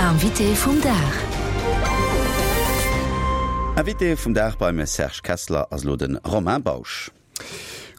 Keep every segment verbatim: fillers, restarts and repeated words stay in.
Invité vum Dag. Invité vum Dag beim Serge Kessler ass elo de Romain Bausch.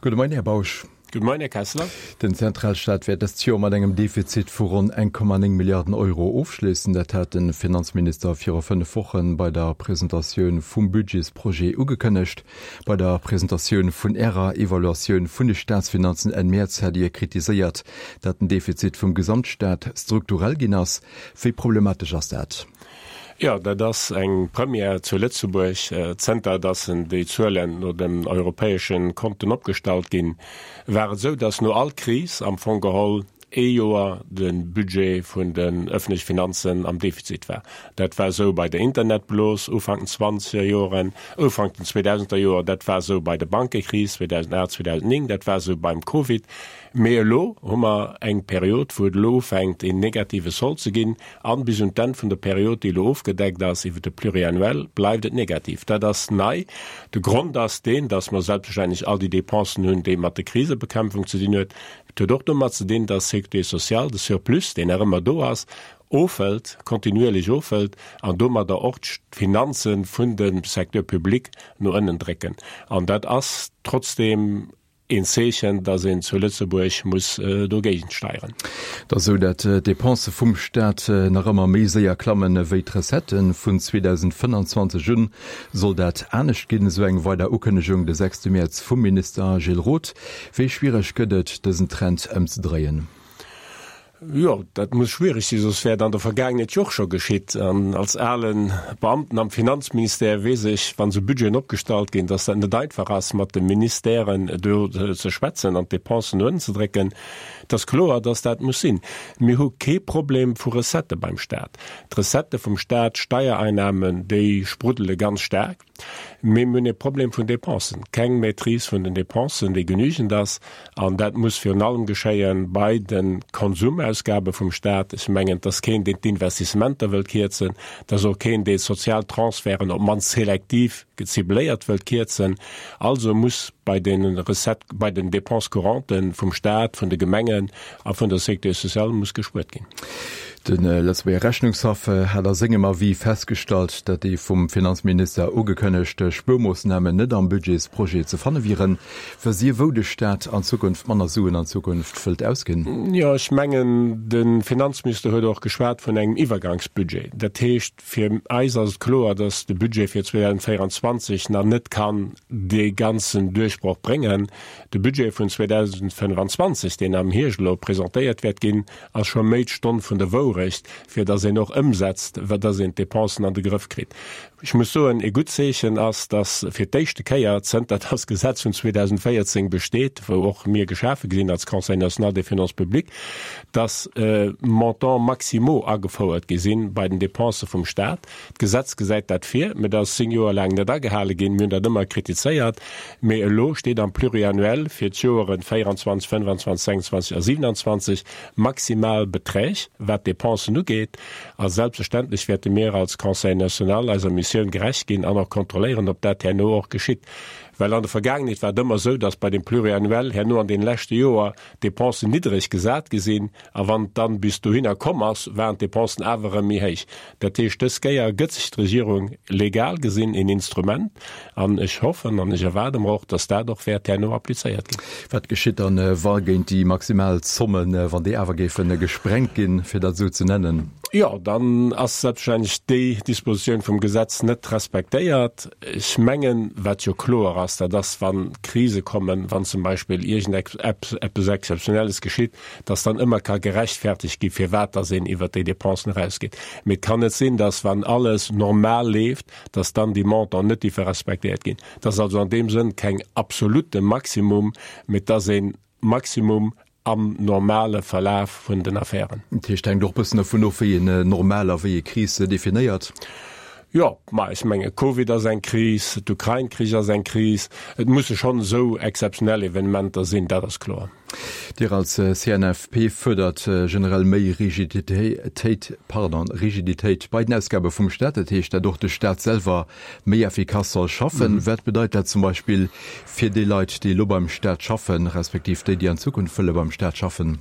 Gudde Moien, Här Bausch. Gudde Moien, Här Kessler. Den Zentralstaat wäert dëst Joer mat engem Defizit vu ronn eng Komma néng Milliarden Euro ofschléissen. Dat hat de Finanzminister viru fënnef Woche bei der Presentatioun vum Budgetsprojet ugekënnegt. Bei der Presentatioun vun Ärer Evaluatioun vun de Staatsfinanzen Enn Mäerz hat Dir kritiséiert, datt den Defizit vum Gesamtstaat strukturell ginn ass. Wéi problematesch ass dat? Jo, dat ass eng Première zu Lëtzebuerg. Zënter datt déi Zuelen no den europäesche Konten opgestallt ginn, war et esou, datt no all Kris am Fong geholl ee Joer de Budget vun den ëffentleche Finanzen am Defizit war. Dat war esou bei der Internetblos Ufank den zwanzeger Joren, Ufank den zweedausender Joer, dat war esou bei der Bankekris zweedausendacht, zweedausennéng, dat war esou beim Covid. Mee elo hu mer eng Period, wou et elo ufänkt een negative Sold ze ginn, an bis un d'Enn vun der Period, déi elo ofgedeckt ass iwwer de Pluriannuel, bleift et negativ. Dat ass nei. De Grond ass deen, dass mer selbstverständlech all déi Dépensen hunn, déi mat der Krisebekämpfung ze dinn huet. Et huet och domat ze dinn, dass d'Sécurité sociale de Surplus, deen nach ëmmer do ass, ofhëlt, kontinuierlech ofhëlt an domadder och d'Finanze vun dem Secteur public no ënnen drécken. An dat ass trotzdeem een Zeechen, dass een zu Lëtzebuerg muss dogéigent steieren. Et ass esou, dat d'Depensë vum Staat nach ëmmer méi séier klammen ewéi d'Recetten. Vun zweedausendfënnanzwanzeg un soll dat anescht ginn, esou eng weider Ukënnegung de sechste Mäerz vum Minister Gilles Roth. Wéi schwiereg gëtt et, dësen Trend ëmzedréien? Jo, dat muss schwiereg sinn, soss wär et an der Vergaangenheet jo och scho geschitt. An als ale Beamten am Finanzministère weess ech, wann esou Budgeten opgestallt ginn, dass dat net einfach ass, mat de Ministèren do ze schwätzen an d'Depensen no ënnen ze drécken. Et ass kloer, dass dat muss sinn. Mir hu kee Problem vu Recettë beim Stat. D'Recettë vum Stat, d'Steiereinnahmen, déi spruddele ganz staark. Mee mir hunn e Problem vun Dépensen, keng Maîtrise vun den Dépensen, déi genügend ass. An dat muss virun allem geschéie bei de Konsumausgabe vum Stat. Ech mengen, et ass keen, deen d'Investissementer wëllt kierzen. Et ass och keen, dee sozial Transferten, op d'mannst selektiv gezibléiert, wëllt kierzen. Also muss bei de Recettes, bei den Dépenses courantes vum Stat, vun de Gemengen a vun der Sécurité sociale muss gespuert ginn. De Lëtzebuerger Rechnungshaff hat a sengem Avis festgestallt, datt déi vum Finanzminister ugekënnegt Spuermoossnamen net am Budgetsprojet ze fanne wieren. Wësst Dir, wou de Staat an Zukunft manner Suen an Zukunft wëllt ausginn? Jo, ech mengen, de Finanzminister huet och geschwat vun engem Iwwergangsbudget. Dat heescht, fir eis ass et kloer, datt de Budget fir zweedausendvéierundzwanzeg nach net kann dee ganzen Duerchbroch bréngen. De Budget vun zweedausendfënnefanzwanzeg, deen am Hierscht elo presentéiert wäert ginn, ass scho méi d'Stonn vun der Wourecht, fir datt een och ëmsetzt, wat datt een d'Depensen an de Grëff kritt. Ech muss soen, e gutt Zeechen ass, datt fir d'éischte Kéier, zënter datt d'Gesetz vun zweedausendvéierzéng besteet, wou och mir geschafe gi sinn als Conseil national des finances publiques, datt Montants maximaux agefouert gi sinn bei den Depensë vum Stat. D'Gesetz gesäit dat vir, mä dat ass zéng Joer laang net agehale ginn. Mir hunn dat ëmmer kritizéiert, mä elo steet am Pluriannuel fir d'Joeren véieranzwanzeg, fënnefanzwanzeg, sechsundzwanzeg a siewenanzwanzeg maximal Beträg, wat d'Depensen ugeet. A selbstverständlech wäerte mir als Conseil national eiser Missioun gerecht ginn an och kontrolléieren, ob dat herno och geschitt. Well an der Vergaangenheet war et ëmmer esou, datt bei dem Pluriannuel herno an deene leschte Joer d'Depensen niddreg gesat gi sinn, a wann et dann bis dohinner komm ass, waren d'Depensen awer erëm méi héich. Dat heescht, dës Kéier gëtt sech d'Regierung legal gesinn een Instrument, an ech hoffen an ech erwaarde mer och, datt dat och wäert herno applizéiert ginn. Wat geschitt dann, wa géint déi maximal Zommen, wann déi awer géife gesprengt ginn, fir dat esou ze nennen? Jo, dann ass selbstverständlech déi Dispositioun vum Gesetz net respektéiert. Ech mengen, wat jo kloer ass, dat ass, wa Krise kommen, wann zum Beispill iergendeppes Exzeptionelles geschitt, dass dann ëmmer ka gerechtfertigt gi firwat dass een iwwert déi Dépensen erausgeet. Mee et kann net sinn, dass, wann alles normal leeft, dass dann déi Montanten net dierfe respektéiert ginn. Et ass also an deem Sënn keng absolute Maximum, mee et ass e Maximum am normale Verlaf vun den Affären. Dat heescht, hänkt och e bëssen dovun of, wéi een normal a wéi ee Kris definéiert. Jo, ma ech menge Covid ass eng Kris, d'Ukrain-Krich ass eng Kris. Et musse schonn esou exzeptionell Evenementer sinn, dat ass kloer. Dir als C N F P fuerdert generell méi Rigiditéit, pardon, Rigiditéit bei den Ausgabe vum Staat. Dat heescht, datt och de Staat selwer méi effikass soll schaffen. Wat bedeit dat zum Beispill fir déi Leit, déi elo beim Staat schaffen, respektiv déi, déi an Zukunft wëlle beim Staat schaffen?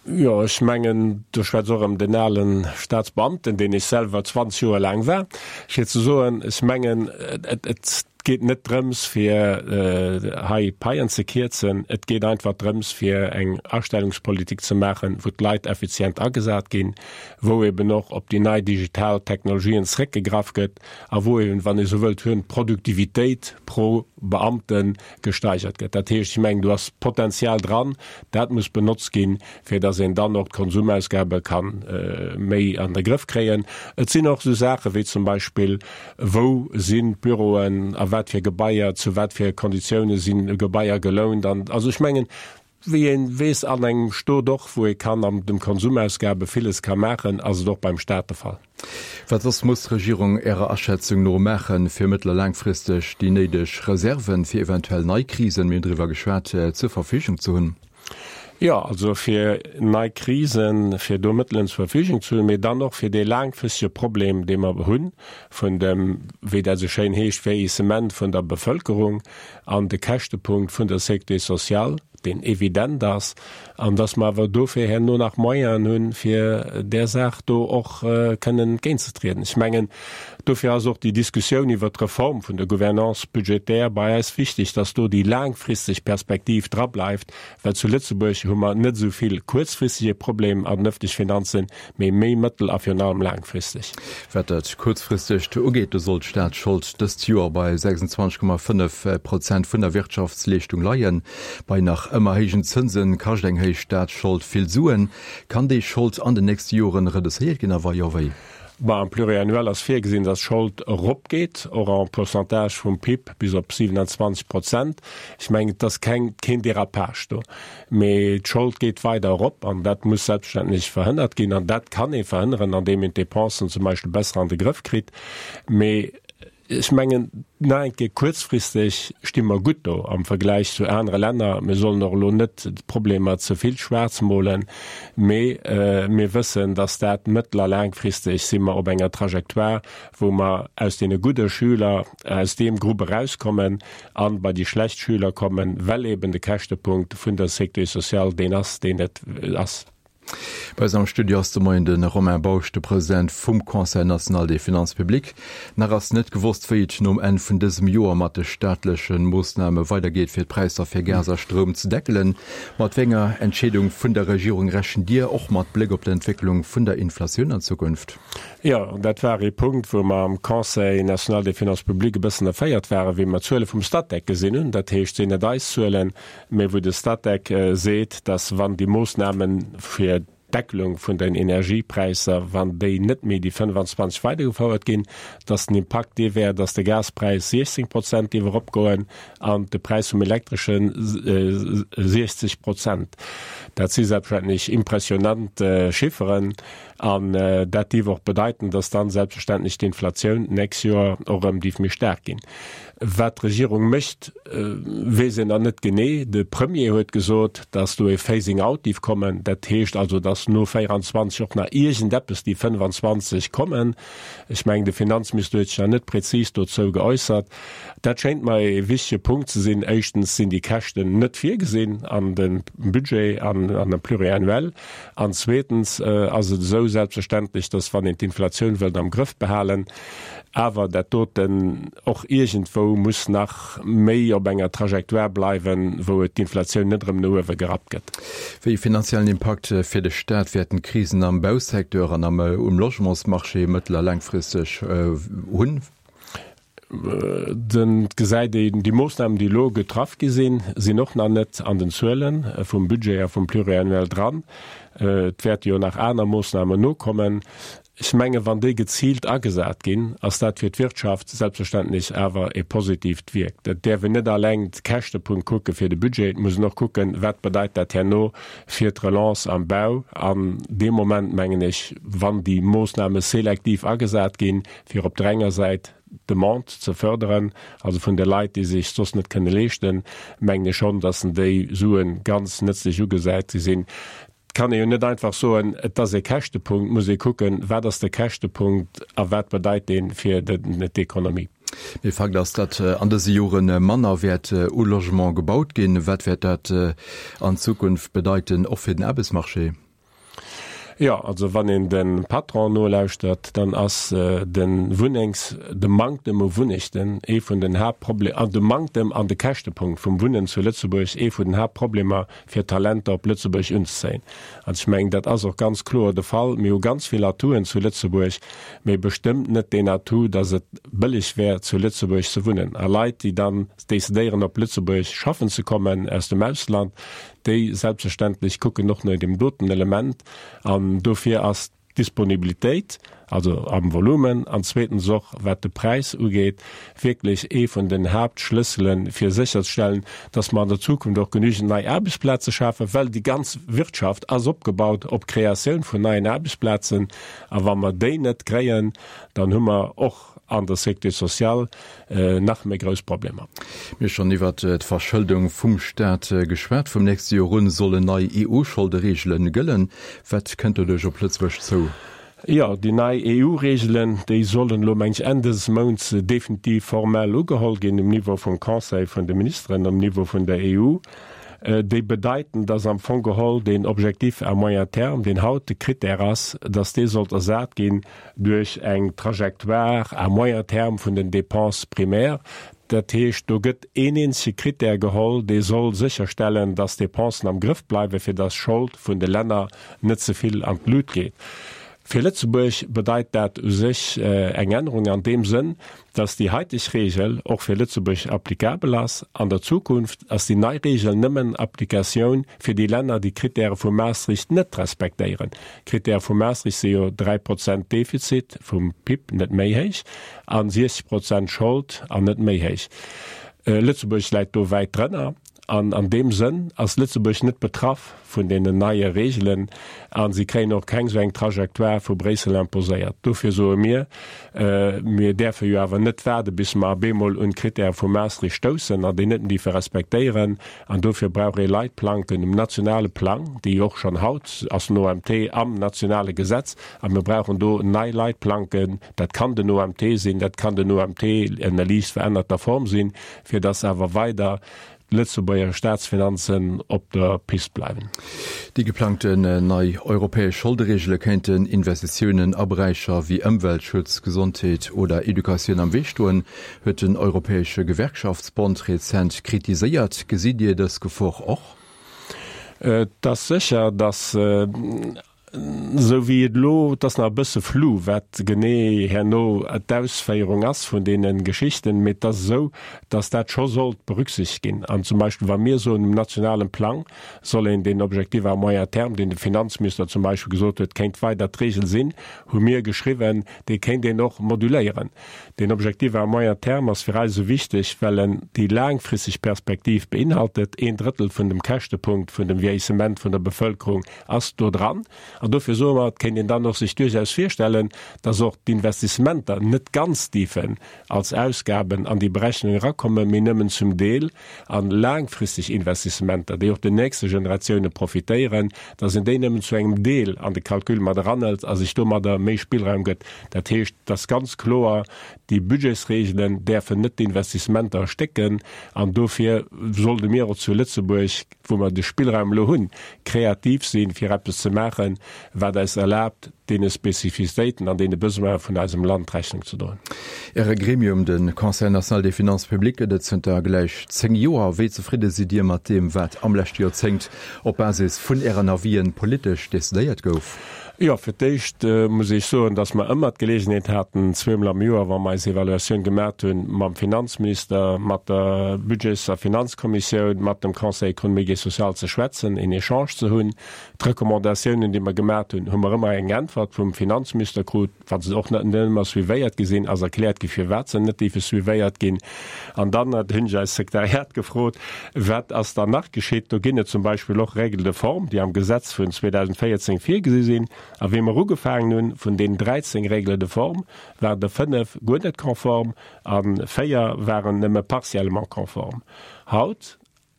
Jo, ech mengen, do schwätzt och erëm den ale Staatsbeamten, deen ech selwer zwanzeg Joer laang war, fir ze soen, ech mengen, et geet net drëms, fir hei Paien ze kierzen, et geet einfach drëms, fir eng Astellungspolitik ze maachen, wou d'Leit effizient agesat ginn, wou eben och op déi nei digital Technologien zréckgegraff gëtt a wou eben, wann ee sou wëllt, d'Produktivitéit pro Beamte gesteigert gëtt. Dat heescht, ech mengen, do ass Potenzial dran, dat muss benotzt ginn, fir datt een dann och d'Konsumausgabe ka méi an de Grëff kréien. Et sinn och esou Saache wéi zum Beispill, Wou sinn d'Büroen, a wat fir Gebaier, zu wat fir Konditioune sinn Gebaier gelount? An also ech mengen, wéi ee weess, an engem Stot och, wou ee kann an dem Konsumausgabe villes ka maachen, ass et och beim Stat de Fall. Wat soss muss d'Regierung Ärer Aschätzung no maachen, fir mëttel a laangfristeg déi néideg Reserven, fir eventuell nei Krisen, mir hunn driwwer geschwat, zur Verfügung ze hunn? Jo, also fir nei Krisen, fir do Mëttelen zur Verfügung ze hunn, mee dann och fir dee laangfristege Problem, dee mer hunn, vun dem, wéi dat esou schéin heescht, Vieillissement vun der Bevëlkerung an de Käschtepunkt vun der Sécurité sociale, deen evident ass, an dass mer awer dofir herno nach Moyenen hunn, fir där Saach do och kënnen entgéintzetrieden. Ech mengen, dofir ass och déi Diskussioun iwwert d'Reform vun der Gouvernance budgétaire bei eis wichtig, dass do déi laangfristeg Perspektiv drableift, well zu Lëtzebuerg hu mer net esou vill kuerzfristige Problem an den öffentliche Finanzen, mee méi mëttel a virun allem laangfristeg. Wat dat Kuerzfristegt ugeet, do soll d'Staatsschold dëst Joer bei sechsundzwanzeg Komma fënnef Prozent vun der Wirtschaftsleeschtung leien. Bei nach ëmmer héijen Zënse kascht eng héich Staatsschold vill Suen. Kann déi Schold an den nächste Joren reduzéiert ginn a wa jo, wéi? Bon, am Pluriannuel ass virgesinn, dass d'Schold eropgeet, och en Pourcentage vum P I B bis op siewenundzwanzeg Prozent. Ech mengen, et ass keng, keen Dérapage do, mee d'Schold geet weider erop an dat muss selbstverständlech verhënnert ginn. An dat kann ee verhënneren, andeem een d'Dépensen zum Beispill besser an de Grëff kritt. Mee ech mengen, nach eng Kéier, kuerzfristeg sti mer gutt do am Vergläich zu anere Länner. Mir sollen och elo net d'Problemer ze vill schwaarz molen, mee mir wëssen, dass dat mëttel a laangfristeg si mer op enger Trajectoire, wou mer aus deene gudde Schüler, aus deem Grupp erauskommen a bei déi schlecht Schüler kommen, well eben de Käschtepunkt vun der Sécurité sociale deen ass, deen et ass. Bei eis am Studio ass de Moien de Romain Bausch, de President vum Conseil national des finances publiques. Nach ass net gewosst, wéi et nom Enn vun dësem Joer mat de staatleche Moossname weidergeet, fir d'Präisser fir Gas a Stroum ze deckelen. Mat wéi enger Entscheedung vun der Regierung rechent Dir, och mat Bléck op d'Entwécklung vun der Inflatioun an Zukunft? Jo, dat war ee Punkt, wou mer am Conseil national des finances publiques e bëssen erféiert waren, wéi mer d'Zuele vum Statec gesinn hunn. Dat heescht, sinn net eis Zuelen, mä wou de Statec seet, dass wann déi Moossname fir d'Deckelung vun den Energiepräisser, wann déi net méi déi fënnefanzwanzeg weidergefouert ginn, dass den Impakt dee wär, dass de Gaspräis siechzéng Prozent géif eropgoen an de Präis vum Elektresche siechzeg Prozent. Dat si selbstverständlech impressionant Chifferen an dat dierf och bedeiten, dass dann selbstverständlech d'Inflatioun d'nächst Joer och erëm dierf méi staark ginn. Wat d'Regierung mécht, weess een nach net genee. De Premier huet gesot, datt do e Phasing out dierf kommen. Dat heescht also, datt no véieranzwanzeg och nach iergendeppes déi fënnefanzwanzeg kommen. Ech mengen, de Finanzminister huet sech nach net prezis dozou geäussert. Dat schéint mer e wichtege Punkt ze sinn. Éischtens sinn déi Käschten net virgesinn an dem Budget, an dem Pluriannuel. An zweetens ass et esou selbstverständlech, datt, wann een d'Inflatioun wëllt am Grëff behalen, awer dat doten och iergendwou muss nach méi op enger Trajectoire bleiwen, wou et d'Inflatioun net erëm no uewe gerappt gëtt. Wéi ee finanziellen Impakt fir de Staat wäerten d'Krisen am Bausecteur an am um Logementsmarché mëttel a laangfristeg hunn? Et gesäit een, déi Moossnamen, déi elo getraff gi sinn, sinn och nach net an den Zuele vum Budget a vum Pluriannuel dran. Et wäerte jo nach aner Moossnamen nokommen. Ech mengen, wann déi geziilt agesat ginn, ass dat fir d'Wirtschaft selbstverständlech awer e positiivt Wierk. Et däerf een net alleng de Käschtepunkt kucke fir de Budget, et muss een och kucken, wat bedeit dat herno fir d'Relance am Bau. An dee Moment, mengen ech, wann déi Moossname selektiv agesat ginn, fir op der enger Säit d'Demande ze förderen, also vun de Leit, déi sech soss net kënne leeschten, mengen ech schonn, datt déi Sue ganz nëtzlech ugesat gi sinn. Et kann ee jo net einfach soen, et ass ee Käschtepunkt. Et muss ee kucken, wat ass de Käschtepunkt a wat bedeit dee fir d'Ekonomie. Mee Fakt ass, datt an dëse Jore manner wäert u Logement gebaut ginn. Wat wäert dat an Zukunft bedeiten, och fir den Aarbechtsmarché? Jo, also wann een de Patronen nolauschtert, dann ass de Wunnengs-, de Manktem u Wunnechten ee vun den Haaptproble-, an de Manktem an de Käschtepunkt vum Wunnen zu Lëtzebuerg ee vun den Haaptproblemer fir Talenter op Lëtzebuerg unzezéien. An ech mengen, dat ass och ganz kloer de Fall. Mir hu ganz vill Atouen zu Lëtzebuerg, mee bestëmmt net deen Atout, dass et bëlleg wär zu Lëtzebuerg ze wunnen. A Leit, déi dann decidéieren op Lëtzebuerg schaffen ze kommen aus dem Ausland, déi selbstverständlech kucken och no deem doten Element. An dofir ass d'Disponibilitéit, also am Volumen, an zweetens och wat de Präis ugeet, wierklech ee vun den Haaptschlëssele fir sécherzestellen, dass mer an der Zukunft och genügend nei Aarbechtsplaze schafen, well déi ganz Wirtschaft ass opgebaut op d'Kreatioun vun neien Aarbechtsplazen. A wa mer déi net kréien, dann hu mer och an der Sécurité sociale nach méi grouss Problemer. Mir hu schonn iwwert d'Verschëldung vum Staat geschwat. Vum nächste Joer un sollen nei E U-Scholdereegele gëllen. Wat kënnt doduerch op Lëtzebuerg zou? Jo, déi nei E U-Reegelen, déi sollen elo, meng ech, Enn dëses Mounts definitiv formell ugeholl ginn um Niveau vum Conseil vun de Ministeren, um Niveau vun der E U. Déi bedeiten, dass am Fong geholl deen Objectif à moyen terme, deen haut de Critère ass, dass dee sollt ersat ginn duerch eng Trajectoire à moyen terme vun den Dépenses primaires. Dat heescht, do gëtt een eenzege Critère geholl, dee soll sécherstellen, dass d'Dépensen am Grëff bleiwen, fir dass d'Schold vun de Länner net ze vill an d'Lut geet. Fir Lëtzebuerg bedeit dat u sech eng Ännerung an deem Sënn, dass déi haiteg Regel och fir Lëtzebuerg applicabel ass. An der Zukunft ass déi nei Regel nëmmen Applikatioun fir déi Länner, déi d'Kritäre vu Maastricht net respektéieren. D'Kritäre vu Maastricht si jo dräi Prozent Defizit vum P I B, net méi héich, a siechzeg Prozent Schold an net méi héich. Lëtzebuerg läit do wäit drënner. An an deem Sënn ass Lëtzebuerg net betraff vun deenen neie Reegelen a si kréien och keng esou eng Trajectoire vu Bréissel imposéiert. Dofir soe mir, mir däerfe jo awer net waarde bis mer op eemol un d'Krittäre vu Maastricht stoussen an déi net méi dierfe respektéieren. An dofir brauch ee Leitplanken um nationale Plang, déi och schonn haut ass den O M T am nationale Gesetz, a mir brauchen do nei Leitplanken. Dat kann den O M T sinn, dat kann den O M T ënner liicht verännerter Form sinn, fir dass awer weider d'Lëtzebuerger Staatsfinanzen op der Pist bleiwen. Déi geplangten nei europäesch Scholdereegele kéinten Investitiounen a Beräicher wéi Ëmweltschutz, Gesondheet oder Educatioun am Wee stoen, huet den Europäesche Gewerkschaftsbond rezent kritiséiert. Gesitt Dir dës Gefor och? Et ass sécher, datt esou wéi et elo, et ass nach e bësse flou, wat genee herno d'Ausféierung ass vun deene Geschichten, mee et ass esou, datt dat scho sollt berücksichtegt ginn. An zum Beispill wa mir soen, um nationalen Plang soll een deen Objectif à moyen terme, deen de Finanzminister zum Beispill gesot huet, kéint weider d'Regel sinn, hu mir geschriwwen, dee kéint een och moduléieren. Deen Objectif à moyen terme ass fir eis esou wichteg, well en déi laangfristeg Perspektiv beinhaltet. Een Drëttel vun dem Käschtepunkt vun dem Vieillissement vun der Bevëlkerung ass do dran. An dofir soe mer, et kéint een dann och sech duerchaus virstellen, dass och d'Investissementer net ganz dierfen als Ausgaben an déi Berechnung erakommen, mee nëmmen zum Deel, a laangfristeg Investissementer, déi och den nächste Generatioune profitéieren, dass een déi nëmmen zu engem Deel an de Calcul mat eranhëlt a sech domadder méi Spillraum gëtt. Dat heescht, et ass ganz kloer, déi Budgetsregelen däerfen net d'Investissementer erstécken an dofir sollte mir och zu Lëtzebuerg, wou mer de Spillraum elo hunn, kreativ sinn, fir eppes ze maachen, wat eis erlaabt, deene Spezifizitéiten an deene Besoine vun eisem Land Rechnung ze droen. Äre Gremium, de Conseil national des finances publiques, gëtt et zënter gläich zéng Joer. Wéi zefridde sidd Dir mat deem, wat am leschte Joerzéngt op Basis vun Ären Avisen politesch decidéiert gouf? Jo, fir d'éischt muss ech soen, dass mer ëmmer d'Geleegenheet haten, zweemol am Joer, wa mer eis Evaluatioun gemat hunn, mam Finanzminister, mat der Budgets a Finanzkommissioun, mat dem Conseil économique et social ze schwätzen, een Echange ze hunn. D'Recommandatiounen, déi mer gemat hunn, hu mer ëmmer eng Äntwert vum Finanzminister krut. Wa se och net ëmmer suivéiert gi sinn, ass erkläert gi firwat se net déife suivéiert ginn. An dann hunn ech eist Sekretariat gefrot, Wat ass dann nach geschitt? Do ginn et zum Beispill och Règles de forme, déi am Gesetz vun zweedausendvéierzéng virgesi sinn. A wéi mer ugefaangen hunn, vun deenen dräizéng Règles de forme waren der fënnef guer net konform a véier waren nëmme partiellement konform. Haut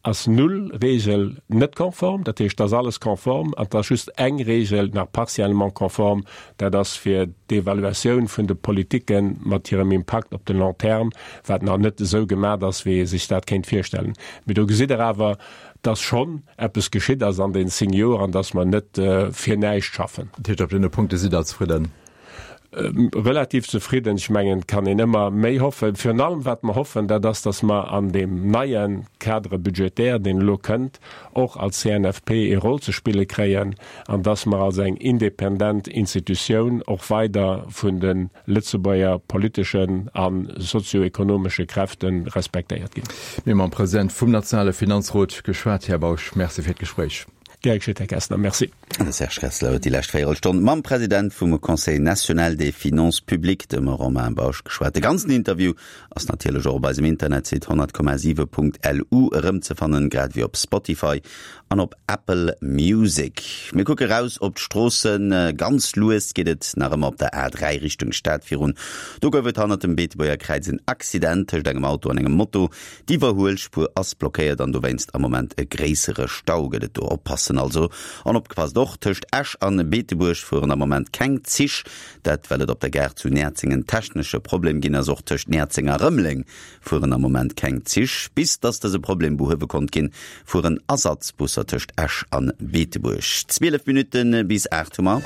ass null Regel net konform, dat heescht, et ass alles konform an et ass just eng Regel nach partiellement konform, dat ass fir d'Evaluatioun vun de Politike mat hirem Impakt op de long terme, wat nach net esou gemat ass, wéi ee sech dat kéint virstellen. Mee do gesitt Der awer, dass schonn eppes geschitt ass an den zéng Joer an dass mer net fir näischt schaffen. Dat heescht, op deene Punkte sidd Der zefridden? Relativ zefridden. Ech mengen, et kann een ëmmer méi hoffen. Virun allem, wat mer hoffen, dat ass, dass mer an deem neie Cadre budgétaire, deen elo kënnt, och als C N F P ee Rôle ze spille kréien an dass mer als eng independent Institutioun och weider vun de Lëtzebuerger politeschen a sozioekonomesche Kräfte respektéiert ginn. Mir hu mam President vum nationale Finanzrot geschwat. Här Bausch, Merci fir d'Gespréich. Gär geschétt, Här Kessler. Merci. De Serge Kessler huet déi lescht Véierelstonn mam President vum Conseil national des finances publiques, dem Romain Bausch, geschwat. De ganzen Interview ass natierlech och op eisem Internetsite honnert Komma siwe Punkt L U erëmzefannen, grad ewéi op Spotify an op Apple Music. Mir kucke raus op d'Stroossen. Ganz lues geet et nach ëmmer op der A dräi Richtung Stad virun. Do gouf et hannert dem Beetebuerger Kräiz en Accident tëscht engem Auto an engem Moto. D'Iwwerhuelspuer ass blockéiert an dowéinst am Moment e gréissere Stau gëtt et do. Oppassen also. An opgepasst och, tëscht Esch an Beetebuerg fueren am Moment keng Zich, dat well et op der Gare zu Näerzeng en technesche Problem ginn ass. Och tëscht Näerzeng a Rëmeleng fueren am Moment keng Zich. Bis dass dëse Problem behuewe konnt ginn, fueren Ersatzbusser tëscht Esch an Beetebuerg. Zwielef Minutte bis aacht hu mer.